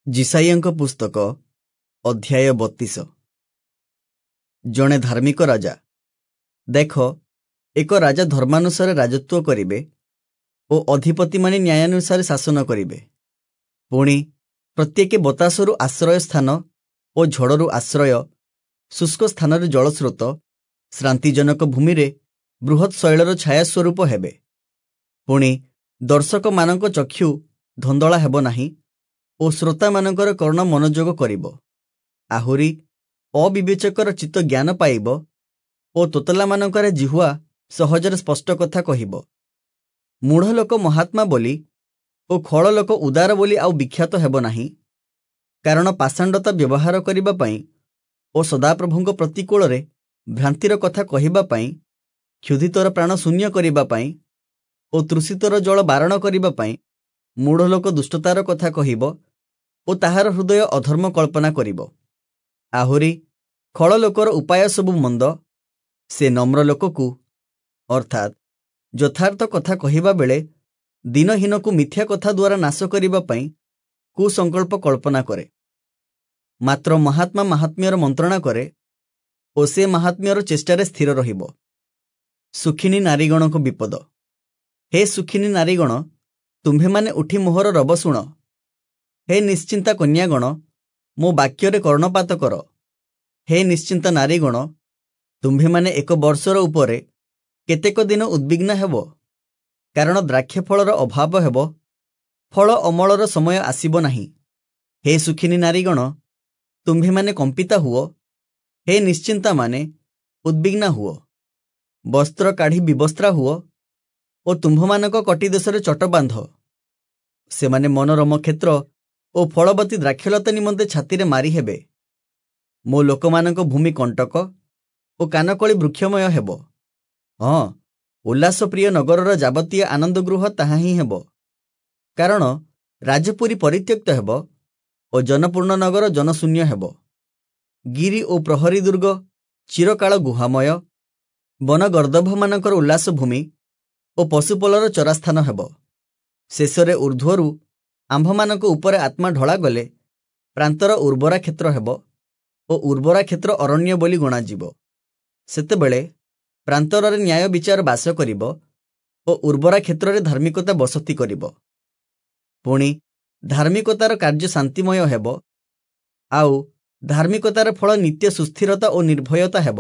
ଯିଶାଇୟଙ୍କ ପୁସ୍ତକ ଅଧ୍ୟାୟ 32। ଜଣେ ଧାର୍ମିକ ରାଜା। ଦେଖ, ଏକ ରାଜା ଧର୍ମାନୁସାରେ ରାଜତ୍ୱ କରିବେ ଓ ଅଧିପତିମାନେ ନ୍ୟାୟାନୁସାରେ ଶାସନ କରିବେ। ପୁଣି ପ୍ରତ୍ୟେକେ ବତାସରୁ ଆଶ୍ରୟ ସ୍ଥାନ ଓ ଝଡ଼ରୁ ଆଶ୍ରୟ, ଶୁଷ୍କ ସ୍ଥାନରେ ଜଳସ୍ରୋତ, ଶ୍ରାନ୍ତିଜନକ ଭୂମିରେ ବୃହତ୍ ଶୈଳର ଛାୟା ସ୍ୱରୂପ ହେବେ। ପୁଣି ଦର୍ଶକମାନଙ୍କ ଚକ୍ଷୁ ଧନ୍ଦଳା ହେବ ନାହିଁ ଓ ଶ୍ରୋତାମାନଙ୍କର କର୍ଣ୍ଣ ମନୋଯୋଗ କରିବ। ଆହୁରି ଅବିବେଚକର ଚିତ୍ତ ଜ୍ଞାନ ପାଇବ ଓ ତୋତଲାମାନଙ୍କର ଜିହ୍ୱା ସହଜରେ ସ୍ପଷ୍ଟ କଥା କହିବ। ମୂଢ଼ ଲୋକ ମହାତ୍ମା ବୋଲି ଓ ଖଳ ଲୋକ ଉଦାର ବୋଲି ଆଉ ବିଖ୍ୟାତ ହେବ ନାହିଁ, କାରଣ ପାଷାଣ୍ଡତା ବ୍ୟବହାର କରିବା ପାଇଁ ଓ ସଦାପ୍ରଭୁଙ୍କ ପ୍ରତିକୂଳରେ ଭ୍ରାନ୍ତିର କଥା କହିବା ପାଇଁ, କ୍ଷୁଧିତର ପ୍ରାଣ ଶୂନ୍ୟ କରିବା ପାଇଁ ଓ ତୃଷିତର ଜଳ ବାରଣ କରିବା ପାଇଁ ମୂଢ଼ ଲୋକ ଦୁଷ୍ଟତାର କଥା କହିବ ଓ ତାହାର ହୃଦୟ ଅଧର୍ମ କଳ୍ପନା କରିବ। ଆହୁରି ଖଳ ଲୋକର ଉପାୟ ସବୁ ମନ୍ଦ, ସେ ନମ୍ର ଲୋକକୁ ଅର୍ଥାତ୍ ଯଥାର୍ଥ କଥା କହିବା ବେଳେ ଦିନହୀନକୁ ମିଥ୍ୟା କଥା ଦ୍ୱାରା ନାଶ କରିବା ପାଇଁ କୁସଂକଳ୍ପ କଳ୍ପନା କରେ। ମାତ୍ର ମହାତ୍ମା ମାହାତ୍ମ୍ୟର ମନ୍ତ୍ରଣା କରେ ଓ ସେ ମାହାତ୍ମ୍ୟର ଚେଷ୍ଟାରେ ସ୍ଥିର ରହିବ। ସୁଖିନୀ ନାରୀଗଣଙ୍କ ବିପଦ। ହେ ସୁଖିନୀ ନାରୀଗଣ, ତୁମ୍ଭେମାନେ ଉଠି ମୋହର ରବ ଶୁଣ। ହେ ନିଶ୍ଚିନ୍ତା କନ୍ୟାଗଣ, ମୋ ବାକ୍ୟରେ କର୍ଣ୍ଣପାତ କର। ହେ ନିଶ୍ଚିନ୍ତା ନାରୀଗଣ, ତୁମ୍ଭେମାନେ ଏକ ବର୍ଷର ଉପରେ କେତେକ ଦିନ ଉଦ୍ବିଗ୍ନ ହେବ, କାରଣ ଦ୍ରାକ୍ଷଫଳର ଅଭାବ ହେବ, ଫଳ ଅମଳର ସମୟ ଆସିବ ନାହିଁ। ହେ ସୁଖିନୀ ନାରୀଗଣ, ତୁମ୍ଭେମାନେ କମ୍ପିତା ହୁଅ। ହେ ନିଶ୍ଚିନ୍ତାମାନେ, ଉଦ୍ବିଗ୍ନା ହୁଅ। ବସ୍ତ୍ର କାଢ଼ି ବିବସ୍ତ୍ରା ହୁଅ ଓ ତୁମ୍ଭମାନଙ୍କ କଟିଦେଶରେ ଚଟ ବାନ୍ଧ। ସେମାନେ ମନୋରମ କ୍ଷେତ୍ର ଓ ଫଳବତୀ ଦ୍ରାକ୍ଷଲତା ନିମନ୍ତେ ଛାତିରେ ମାରି ହେବେ। ମୋ ଲୋକମାନଙ୍କ ଭୂମି କଣ୍ଟକ ଓ କାନକଳି ବୃକ୍ଷମୟ ହେବ। ହଁ, ଉଲ୍ଲାସପ୍ରିୟ ନଗରର ଯାବତୀୟ ଆନନ୍ଦଗୃହ ତାହା ହିଁ ହେବ। କାରଣ ରାଜପୁରୀ ପରିତ୍ୟକ୍ତ ହେବ ଓ ଜନପୂର୍ଣ୍ଣ ନଗର ଜନଶୂନ୍ୟ ହେବ। ଗିରି ଓ ପ୍ରହରୀ ଦୁର୍ଗ ଚିରକାଳ ଗୁହାମୟ, ବନଗର୍ଦ୍ଦଭମାନଙ୍କର ଉଲ୍ଲାସ ଭୂମି ଓ ପଶୁପଲର ଚରାସ୍ଥାନ ହେବ। ଶେଷରେ ଊର୍ଦ୍ଧ୍ୱରୁ ଆମ୍ଭମାନଙ୍କ ଉପରେ ଆତ୍ମା ଢଳାଗଲେ ପ୍ରାନ୍ତର ଉର୍ବରା କ୍ଷେତ୍ର ହେବ ଓ ଉର୍ବରା କ୍ଷେତ୍ର ଅରଣ୍ୟ ବୋଲି ଗଣାଯିବ। ସେତେବେଳେ ପ୍ରାନ୍ତରରେ ନ୍ୟାୟ ବିଚାର ବାସ କରିବ ଓ ଉର୍ବରା କ୍ଷେତ୍ରରେ ଧାର୍ମିକତା ବସତି କରିବ। ପୁଣି ଧାର୍ମିକତାର କାର୍ଯ୍ୟ ଶାନ୍ତିମୟ ହେବ, ଆଉ ଧାର୍ମିକତାର ଫଳ ନିତ୍ୟ ସୁସ୍ଥିରତା ଓ ନିର୍ଭୟତା ହେବ।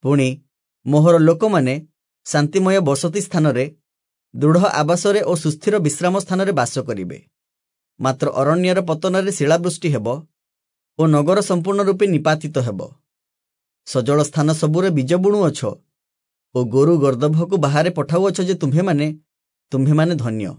ପୁଣି ମୋହର ଲୋକମାନେ ଶାନ୍ତିମୟ ବସତି ସ୍ଥାନରେ, ଦୃଢ଼ ଆବାସରେ ଓ ସୁସ୍ଥିର ବିଶ୍ରାମ ସ୍ଥାନରେ ବାସ କରିବେ। ମାତ୍ର ଅରଣ୍ୟର ପତନରେ ଶିଳାବୃଷ୍ଟି ହେବ ଓ ନଗର ସମ୍ପୂର୍ଣ୍ଣ ରୂପେ ନିପାତିତ ହେବ। ସଜଳ ସ୍ଥାନ ସବୁରେ ବୀଜ ବୁଣୁଅଛ ଓ ଗୋରୁ ଗର୍ଦ୍ଦଭକୁ ବାହାରେ ପଠାଉଅଛ ଯେ ତୁମ୍ଭେମାନେ ଧନ୍ୟ।